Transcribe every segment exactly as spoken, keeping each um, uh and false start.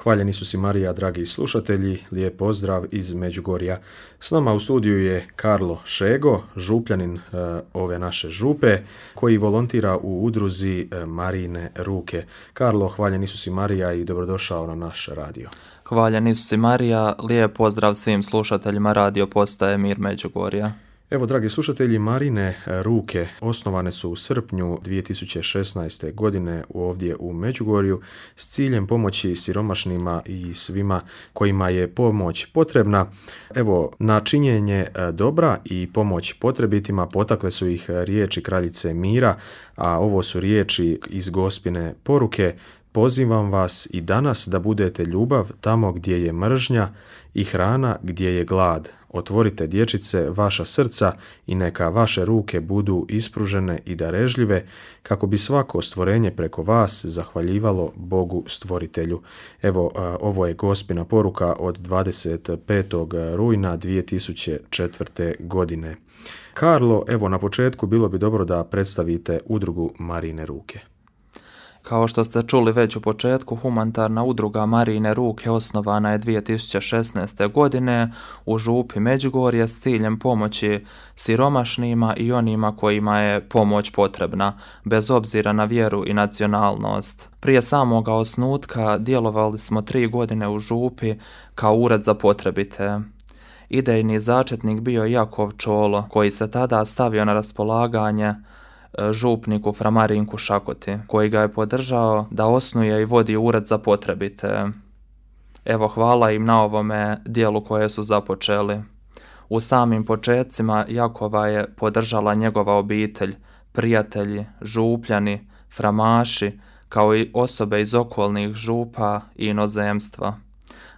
Hvaljeni su si Marija, dragi slušatelji, lijep pozdrav iz Međugorja. S nama u studiju je Karlo Šego, župljanin e, ove naše župe, koji volontira u udruzi e, Marijine ruke. Karlo, hvaljeni su si Marija i dobrodošao na naš radio. Hvaljeni su si Marija, lijep pozdrav svim slušateljima radio postaje Mir Međugorja. Evo, dragi slušatelji, Marijine ruke osnovane su u srpnju dvije tisuće šesnaeste. godine ovdje u Međugorju s ciljem pomoći siromašnima i svima kojima je pomoć potrebna. Evo, na činjenje dobra i pomoć potrebitima potakle su ih riječi kraljice Mira, a ovo su riječi iz Gospine poruke: pozivam vas i danas da budete ljubav tamo gdje je mržnja i hrana gdje je glad. Otvorite, dječice, vaša srca i neka vaše ruke budu ispružene i darežljive, kako bi svako stvorenje preko vas zahvaljivalo Bogu stvoritelju. Evo, ovo je Gospina poruka od dvadeset petog rujna dvije tisuće četvrte. godine. Karlo, evo na početku bilo bi dobro da predstavite udrugu Marijine ruke. Kao što ste čuli već u početku, humanitarna udruga Marijine ruke osnovana je dvije tisuće šesnaeste. godine u župi Međugorje s ciljem pomoći siromašnima i onima kojima je pomoć potrebna, bez obzira na vjeru i nacionalnost. Prije samoga osnutka djelovali smo tri godine u župi kao ured za potrebite. Idejni začetnik bio je Jakov Čolo, koji se tada stavio na raspolaganje župniku Fra Marinku Šakoti, koji ga je podržao da osnuje i vodi ured za potrebite. Evo, hvala im na ovome dijelu koje su započeli. U samim početcima Jakova je podržala njegova obitelj, prijatelji, župljani, framaši, kao i osobe iz okolnih župa i inozemstva.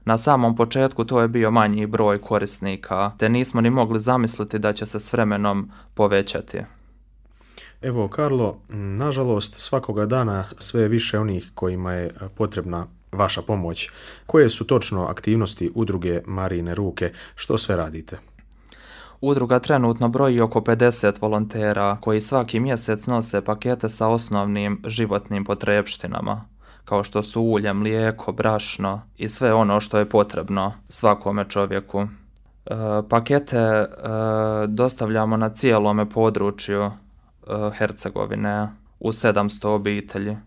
Na samom početku to je bio manji broj korisnika, te nismo ni mogli zamisliti da će se s vremenom povećati. Evo, Karlo, nažalost svakoga dana sve je više onih kojima je potrebna vaša pomoć. Koje su točno aktivnosti udruge Marijine ruke? Što sve radite? Udruga trenutno broji oko pedeset volontera koji svaki mjesec nose pakete sa osnovnim životnim potrepštinama, kao što su ulje, mlijeko, brašno i sve ono što je potrebno svakome čovjeku. E, pakete e, dostavljamo na cijelome području Hercegovine u sedamsto obitelji.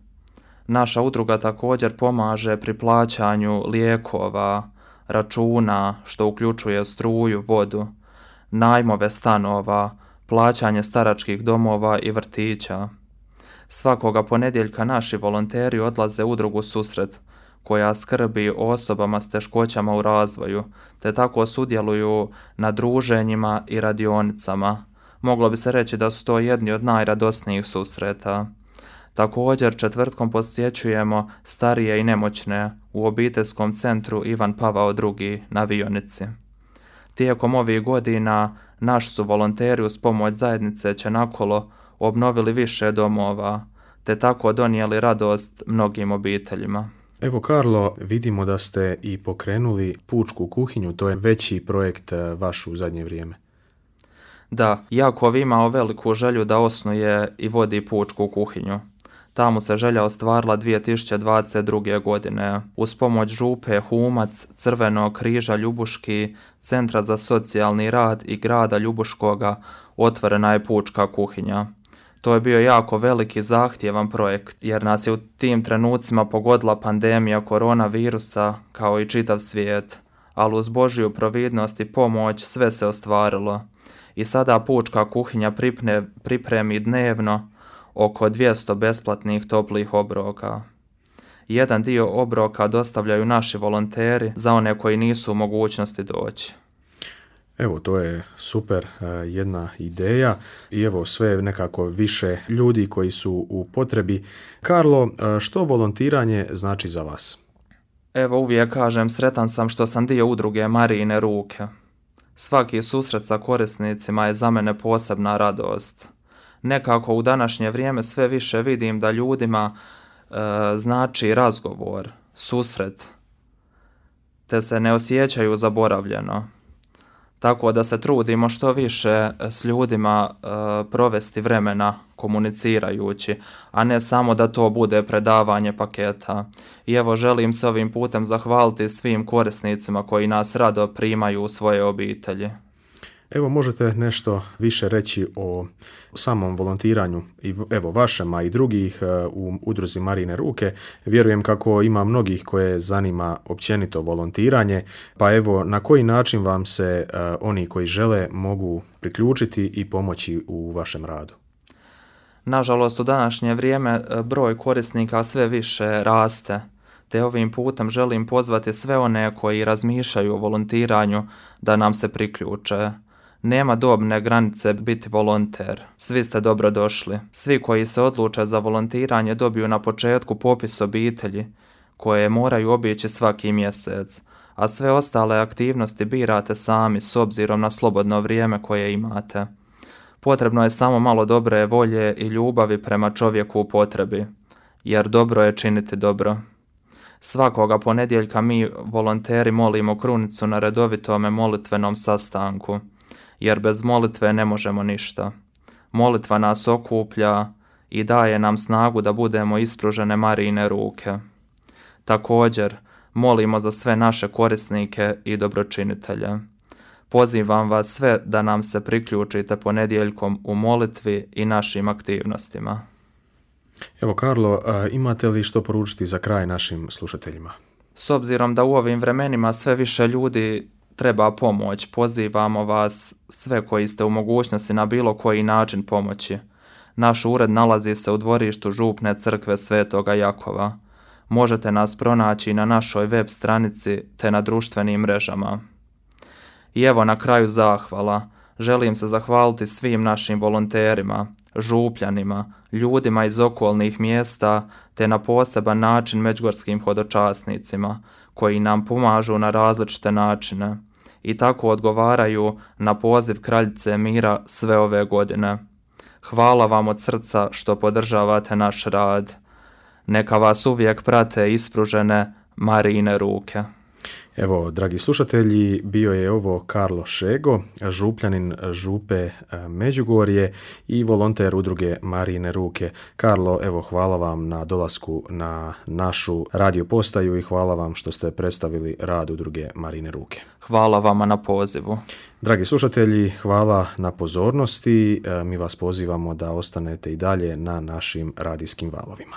Naša udruga također pomaže pri plaćanju lijekova, računa, što uključuje struju, vodu, najmove stanova, plaćanje staračkih domova i vrtića. Svakoga ponedjeljka naši volonteri odlaze u udrugu Susret, koja skrbi o osobama s teškoćama u razvoju, te tako sudjeluju na druženjima i radionicama. Moglo bi se reći da su to jedni od najradosnijih susreta. Također četvrtkom posjećujemo starije i nemoćne u obiteljskom centru Ivan Pavao drugi na Vionici. Tijekom ovih godina naši su volonteri uz pomoć zajednice Čenakolo obnovili više domova, te tako donijeli radost mnogim obiteljima. Evo, Karlo, vidimo da ste i pokrenuli pučku kuhinju, to je veći projekt vaš u zadnje vrijeme. Da, Jakov imao veliku želju da osnuje i vodi pučku kuhinju. Ta mu se želja ostvarila dvije tisuće dvadeset druge. godine. Uz pomoć župe Humac, Crvenog križa Ljubuški, Centra za socijalni rad i grada Ljubuškoga otvorena je pučka kuhinja. To je bio jako veliki zahtjevan projekt, jer nas je u tim trenucima pogodila pandemija koronavirusa kao i čitav svijet, ali uz Božju providnost i pomoć sve se ostvarilo. I sada pučka kuhinja pripne, pripremi dnevno oko dvjesto besplatnih toplih obroka. Jedan dio obroka dostavljaju naši volonteri za one koji nisu u mogućnosti doći. Evo, to je super jedna ideja i evo sve nekako više ljudi koji su u potrebi. Karlo, što volontiranje znači za vas? Evo, uvijek kažem, sretan sam što sam dio udruge Marijine ruke. Svaki susret sa korisnicima je za mene posebna radost. Nekako u današnje vrijeme sve više vidim da ljudima e, znači razgovor, susret, te se ne osjećaju zaboravljeno. Tako da se trudimo što više s ljudima e, provesti vremena komunicirajući, a ne samo da to bude predavanje paketa. I evo želim se ovim putem zahvaliti svim korisnicima koji nas rado primaju u svoje obitelji. Evo možete nešto više reći o samom volontiranju i evo vašem, a i drugih u udruzi Marijine ruke. Vjerujem kako ima mnogih koje zanima općenito volontiranje, pa evo na koji način vam se oni koji žele mogu priključiti i pomoći u vašem radu? Nažalost, u današnje vrijeme broj korisnika sve više raste, te ovim putem želim pozvati sve one koji razmišljaju o volontiranju da nam se priključe. Nema dobne granice biti volonter. Svi ste dobrodošli. Svi koji se odluče za volontiranje dobiju na početku popis obitelji koje moraju obići svaki mjesec, a sve ostale aktivnosti birate sami s obzirom na slobodno vrijeme koje imate. Potrebno je samo malo dobre volje i ljubavi prema čovjeku u potrebi, jer dobro je činiti dobro. Svakoga ponedjeljka mi volonteri molimo krunicu na redovitome molitvenom sastanku, jer bez molitve ne možemo ništa. Molitva nas okuplja i daje nam snagu da budemo ispružene Marijine ruke. Također, molimo za sve naše korisnike i dobročinitelje. Pozivam vas sve da nam se priključite ponedjeljkom u molitvi i našim aktivnostima. Evo Karlo, imate li što poručiti za kraj našim slušateljima? S obzirom da u ovim vremenima sve više ljudi treba pomoć, pozivamo vas sve koji ste u mogućnosti na bilo koji način pomoći. Naš ured nalazi se u dvorištu župne crkve Svetoga Jakova. Možete nas pronaći na našoj web stranici te na društvenim mrežama. I evo na kraju zahvala. Želim se zahvaliti svim našim volonterima, župljanima, ljudima iz okolnih mjesta te na poseban način međugorskim hodočasnicima koji nam pomažu na različite načine i tako odgovaraju na poziv Kraljice mira sve ove godine. Hvala vam od srca što podržavate naš rad. Neka vas uvijek prate ispružene Marijine ruke. Evo, dragi slušatelji, bio je ovo Karlo Šego, župljanin župe Međugorje i volonter udruge Marijine ruke. Karlo, evo, hvala vam na dolasku na našu radio postaju i hvala vam što ste predstavili rad udruge Marijine ruke. Hvala vama na pozivu. Dragi slušatelji, hvala na pozornosti. Mi vas pozivamo da ostanete i dalje na našim radijskim valovima.